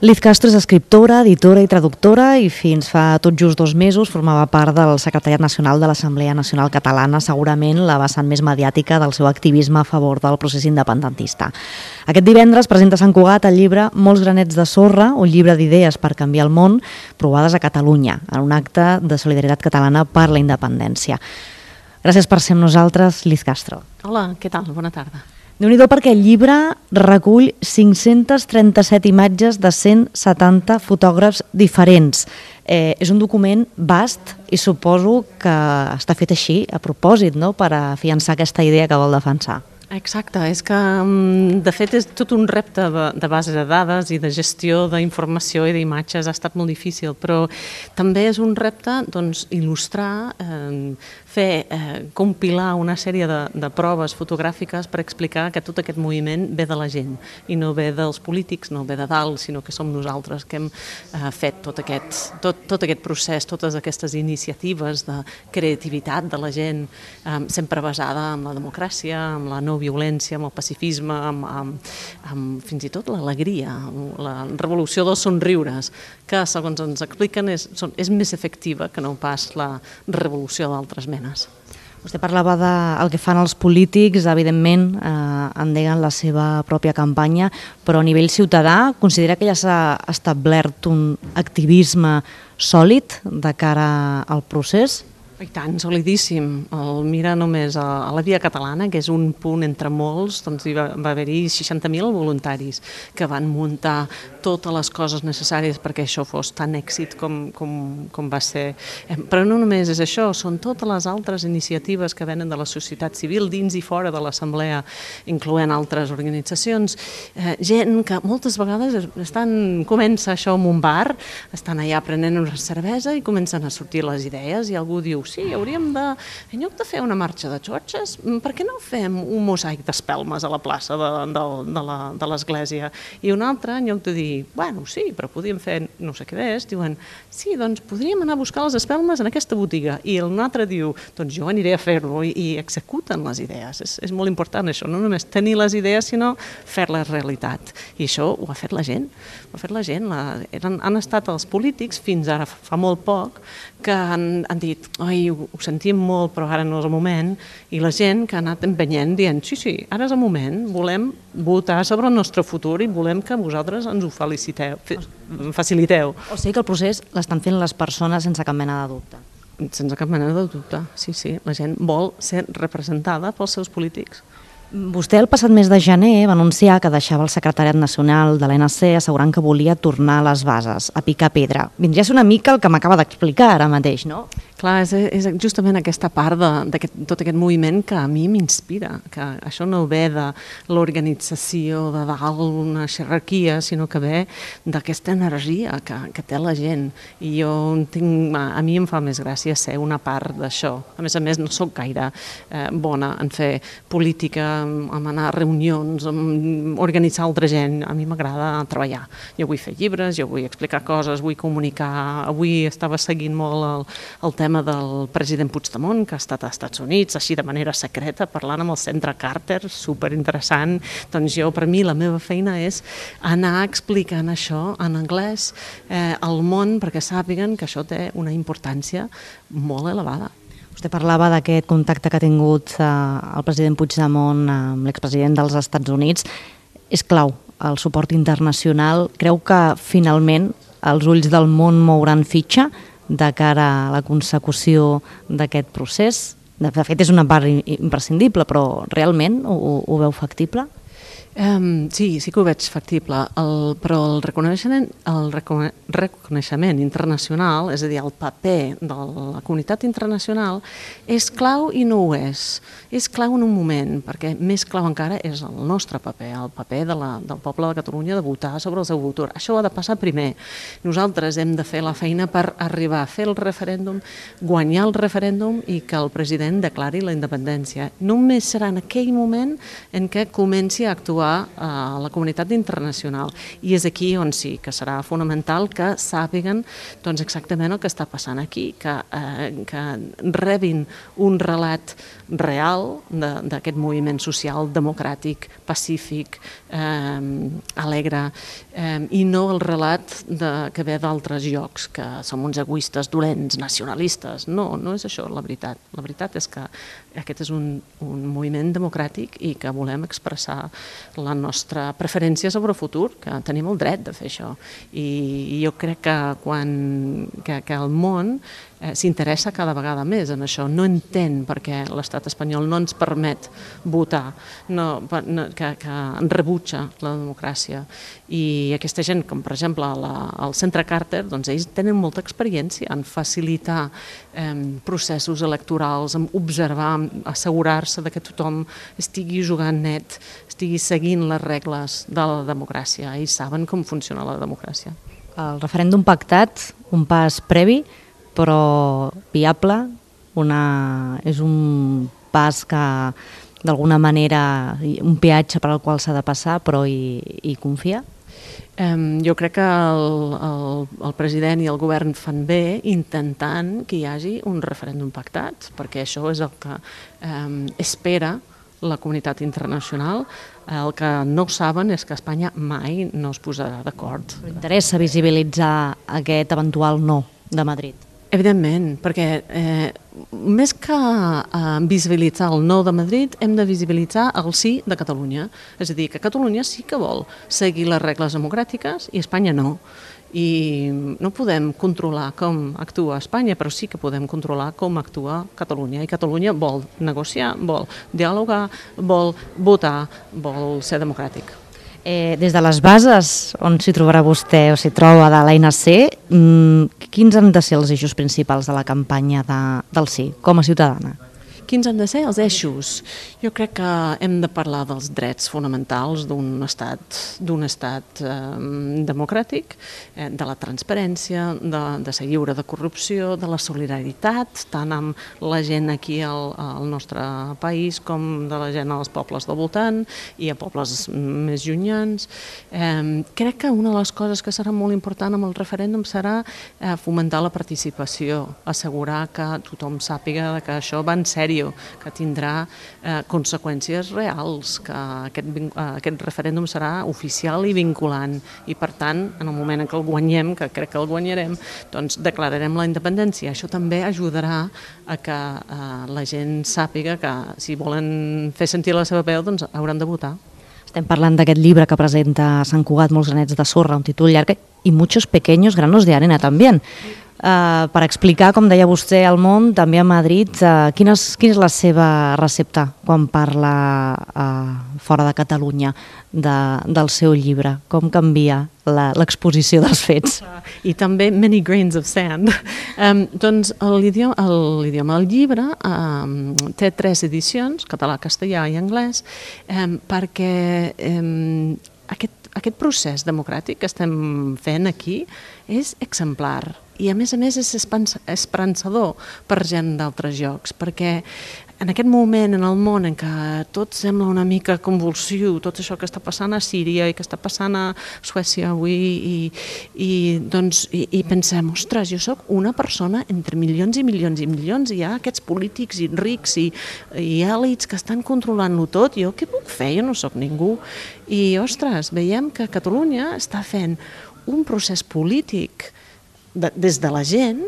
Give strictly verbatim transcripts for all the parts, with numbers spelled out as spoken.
Liz Castro és escriptora, editora i traductora i fins fa tot just dos mesos formava part del Secretariat Nacional de l'Assemblea Nacional Catalana, segurament la vessant més mediàtica del seu activisme a favor del procés independentista. Aquest divendres presenta a Sant Cugat el llibre Molts granets de sorra, un llibre d'idees per canviar el món, provades a Catalunya, en un acte de solidaritat catalana per la independència. Gràcies per ser amb nosaltres, Liz Castro. Hola, què tal? Bona tarda. Déu-n'hi-do perquè el llibre recull cinc-centes trenta-set imatges de cent setanta fotògrafs diferents. Eh, és un document vast i suposo que està fet així, a propòsit, no?, per afiançar aquesta idea que vol defensar. Exacte, és que de fet és tot un repte de, de base de dades i de gestió d'informació i d'imatges, ha estat molt difícil, però també és un repte doncs, il·lustrar, eh, fer, eh, compilar una sèrie de, de proves fotogràfiques per explicar que tot aquest moviment ve de la gent i no ve dels polítics, no ve de dalt, sinó que som nosaltres que hem eh, fet tot aquest, tot, tot aquest procés, totes aquestes iniciatives de creativitat de la gent, eh, sempre basada en la democràcia, en la no violència, amb el pacifisme, amb, amb, amb fins i tot l'alegria, la revolució dels somriures, que segons ens expliquen és, són, és més efectiva que no pas la revolució d'altres menes. Vostè parlava del que fan els polítics, evidentment eh, endeguen la seva pròpia campanya, però a nivell ciutadà considera que ja s'ha establert un activisme sòlid de cara al procés? I tant, solidíssim. El mira només a la Via Catalana, que és un punt entre molts, doncs hi va, va haver-hi seixanta mil voluntaris que van muntar totes les coses necessàries perquè això fos tan èxit com, com, com va ser. Però no només és això, són totes les altres iniciatives que venen de la societat civil dins i fora de l'Assemblea, incloent altres organitzacions. Eh, gent que moltes vegades estan, comença això en un bar, estan allà prenent una cervesa i comencen a sortir les idees i algú diu sí, hauríem de, en lloc de fer una marxa de xotxes, per què no fem un mosaic d'espelmes a la plaça de, de, de, la, de l'església? I un altre, en lloc de dir, bueno, sí, però podríem fer no sé què és, diuen, sí, doncs podríem anar a buscar les espelmes en aquesta botiga. I un altre diu, doncs jo aniré a fer-ho, i, i executen les idees. És, és molt important això, no només tenir les idees, sinó fer-les realitat. I això ho ha fet la gent, ho ha fet la gent. La, eren, han estat els polítics, fins ara fa molt poc, que han, han dit, oi, ho, ho sentim molt, però ara no és el moment, i la gent que ha anat empenyent dient, sí, sí, ara és el moment, volem votar sobre el nostre futur i volem que vosaltres ens ho feliciteu, faciliteu. O sigui que el procés l'estan fent les persones sense cap mena de dubte. Sense cap mena de dubte, sí, sí, la gent vol ser representada pels seus polítics. Vostè el passat mes de gener va anunciar que deixava el secretariat nacional de l'E N C assegurant que volia tornar a les bases, a picar pedra. Vindria a ser una mica el que m'acaba d'explicar ara mateix, no? Clar, és, és justament aquesta part de, de tot aquest moviment que a mi m'inspira, que això no ve de l'organització de dalt, una jerarquia, sinó que ve d'aquesta energia que, que té la gent. I jo tinc, a mi em fa més gràcia ser una part d'això. A més a més, no sóc gaire eh, bona en fer política, en anar a reunions, en organitzar altra gent. A mi m'agrada treballar. Jo vull fer llibres, jo vull explicar coses, vull comunicar. Avui estava seguint molt el, el tema del president Puigdemont, que ha estat als Estats Units, així de manera secreta, parlant amb el centre Carter, superinteressant. Doncs jo, per mi, la meva feina és anar explicant això en anglès eh, al món perquè sàpiguen que això té una importància molt elevada. Vostè parlava d'aquest contacte que ha tingut eh, el president Puigdemont amb l'expresident dels Estats Units. És clau el suport internacional. Creu que finalment els ulls del món mouran fitxa de cara a la consecució d'aquest procés? De fet, és una part imprescindible, però realment ho, ho veu factible? Um, sí, sí que ho veig factible, el, però el reconeixement, el recone, reconeixement internacional, és a dir, el paper de la comunitat internacional, és clau i no ho és. És clau en un moment, perquè més clau encara és el nostre paper, el paper de la, del poble de Catalunya de votar sobre el seu futur. Això ha de passar primer. Nosaltres hem de fer la feina per arribar a fer el referèndum, guanyar el referèndum i que el president declari la independència. Només serà en aquell moment en què comenci a actuar actuar a la comunitat internacional. I és aquí on sí que serà fonamental que sàpiguen doncs, exactament el que està passant aquí, que, eh, que rebin un relat real d'aquest moviment social, democràtic, pacífic, eh, alegre, eh, i no el relat de, que ve d'altres llocs, que som uns egoistes dolents, nacionalistes. No, no és això la veritat. La veritat és que aquest és un, un moviment democràtic i que volem expressar la nostra preferència sobre el futur, que tenim el dret de fer això. I, i jo crec que quan que, que el món eh, s'interessa cada vegada més en això, no entén perquè l'estat espanyol no ens permet votar, no, no, que, que rebutja la democràcia. I aquesta gent, com per exemple la, el Centre Carter, doncs ells tenen molta experiència en facilitar eh, processos electorals, en observar, en assegurar-se de que tothom estigui jugant net, estigui seguint les regles de la democràcia. Ells saben com funciona la democràcia. El referèndum pactat, un pas previ, però viable, una, és un pas que d'alguna manera, un peatge per al qual s'ha de passar, però hi, hi confia? Um, jo crec que el, el, el president i el govern fan bé intentant que hi hagi un referèndum pactat, perquè això és el que um, espera la comunitat internacional. El que no saben és que Espanya mai no es posarà d'acord. Interessa visibilitzar aquest eventual no de Madrid? Evidentment, perquè eh, més que eh, visibilitzar el no de Madrid, hem de visibilitzar el sí de Catalunya. És a dir, que Catalunya sí que vol seguir les regles democràtiques i Espanya no. I no podem controlar com actua Espanya, però sí que podem controlar com actua Catalunya. I Catalunya vol negociar, vol dialogar, vol votar, vol ser democràtic. Eh, des de les bases on s'hi trobarà vostè o s'hi troba de l'A N C, mmm, quins han de ser els eixos principals de la campanya de, del sí, com a ciutadana? Quins han de ser els eixos? Jo crec que hem de parlar dels drets fonamentals d'un estat, d'un estat eh, democràtic, eh, de la transparència, de, de ser lliure de corrupció, de la solidaritat, tant amb la gent aquí al, al nostre país com de la gent als pobles del voltant i a pobles més llunyans. Eh, crec que una de les coses que serà molt important amb el referèndum serà eh, fomentar la participació, assegurar que tothom sàpiga que això va en sèrio, que tindrà eh, conseqüències reals, que aquest, eh, aquest referèndum serà oficial i vinculant i per tant, en el moment en què el guanyem, que crec que el guanyarem, doncs declararem la independència. Això també ajudarà a que eh, la gent sàpiga que si volen fer sentir la seva veu, doncs hauran de votar. Estem parlant d'aquest llibre que presenta Sant Cugat, Molts granets de sorra, un títol llarg, i muchos pequeños granos de arena també. Uh, per explicar, com deia vostè, al món, també a Madrid, uh, quina, és, quina és la seva recepta quan parla uh, fora de Catalunya de, del seu llibre? Com canvia l'exposició dels fets? I també Many Grains of Sand. Um, doncs l'idioma, l'idioma del llibre um, té tres edicions, català, castellà i anglès, um, perquè um, aquest Aquest procés democràtic que estem fent aquí és exemplar i a més a més és esperançador per gent d'altres llocs, perquè en aquest moment en el món en què tot sembla una mica convulsiu, tot això que està passant a Síria i que està passant a Suècia avui i, i, doncs, i, i pensem, ostres, jo sóc una persona entre milions i milions i milions i hi ha aquests polítics i rics i, i èlits que estan controlant-ho tot, jo què puc fer? Jo no sóc ningú. I, ostres, veiem que Catalunya està fent un procés polític de, des de la gent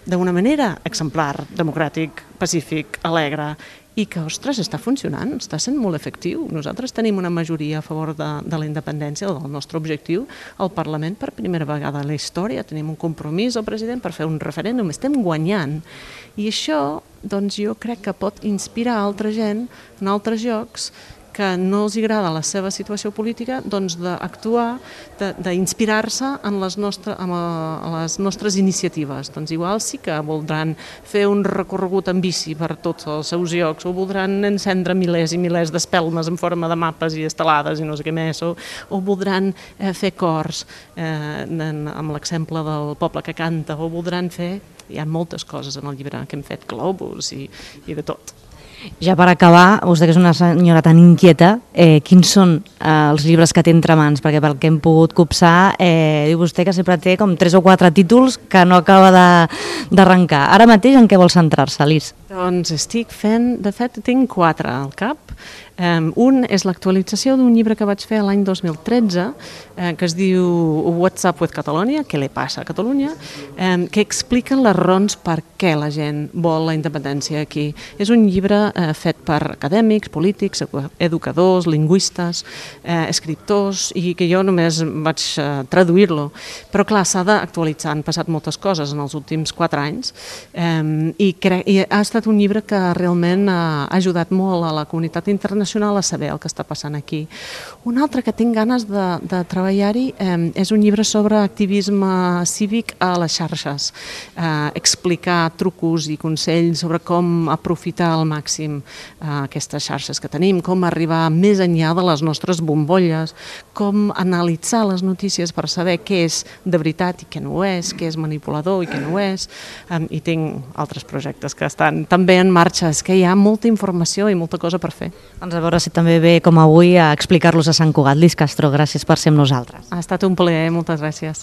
d'una manera exemplar, democràtic, pacífic, alegre, i que, ostres, està funcionant, està sent molt efectiu. Nosaltres tenim una majoria a favor de, de la independència, del nostre objectiu, al Parlament per primera vegada a la història. Tenim un compromís al president per fer un referèndum, estem guanyant. I això, doncs, jo crec que pot inspirar altra gent en altres llocs que no els agrada la seva situació política, doncs d'actuar, d'inspirar-se en les, nostre, en les nostres iniciatives. Doncs igual sí que voldran fer un recorregut en bici per tots els seus llocs, o voldran encendre milers i milers d'espelmes en forma de mapes i estelades i no sé què més, o, o voldran eh, fer cors eh, en, amb l'exemple del poble que canta, o voldran fer... Hi ha moltes coses en el llibre que hem fet, globus i, i de tot. Ja per acabar, vostè que és una senyora tan inquieta, eh, quins són eh, els llibres que té entre mans? Perquè pel que hem pogut copsar, eh, diu vostè que sempre té com tres o quatre títols que no acaba d'arrencar. Ara mateix en què vol centrar-se, Lis? Doncs estic fent, de fet tinc quatre al cap. Um, un és l'actualització d'un llibre que vaig fer l'any dos mil tretze, eh, que es diu What's Up with Catalonia, què li passa a Catalunya, eh, que explica les raons per què la gent vol la independència aquí. És un llibre eh, fet per acadèmics, polítics, educadors, lingüistes, eh, escriptors, i que jo només vaig eh, traduir-lo. Però clar, s'ha d'actualitzar, han passat moltes coses en els últims quatre anys, eh, i, i ha estat un llibre que realment ha ajudat molt a la comunitat internacional a saber el que està passant aquí. Un altre que tinc ganes de, de treballar-hi eh, és un llibre sobre activisme cívic a les xarxes, eh, explicar trucos i consells sobre com aprofitar al màxim eh, aquestes xarxes que tenim, com arribar més enllà de les nostres bombolles, com analitzar les notícies per saber què és de veritat i què no ho és, què és manipulador i què no ho és, eh, i tinc altres projectes que estan també en marxa. És que hi ha molta informació i molta cosa per fer. Doncs a veure si també ve, com avui, a explicar-los a Sant Cugat. Lis Castro, gràcies per ser amb nosaltres. Ha estat un plaer, moltes gràcies.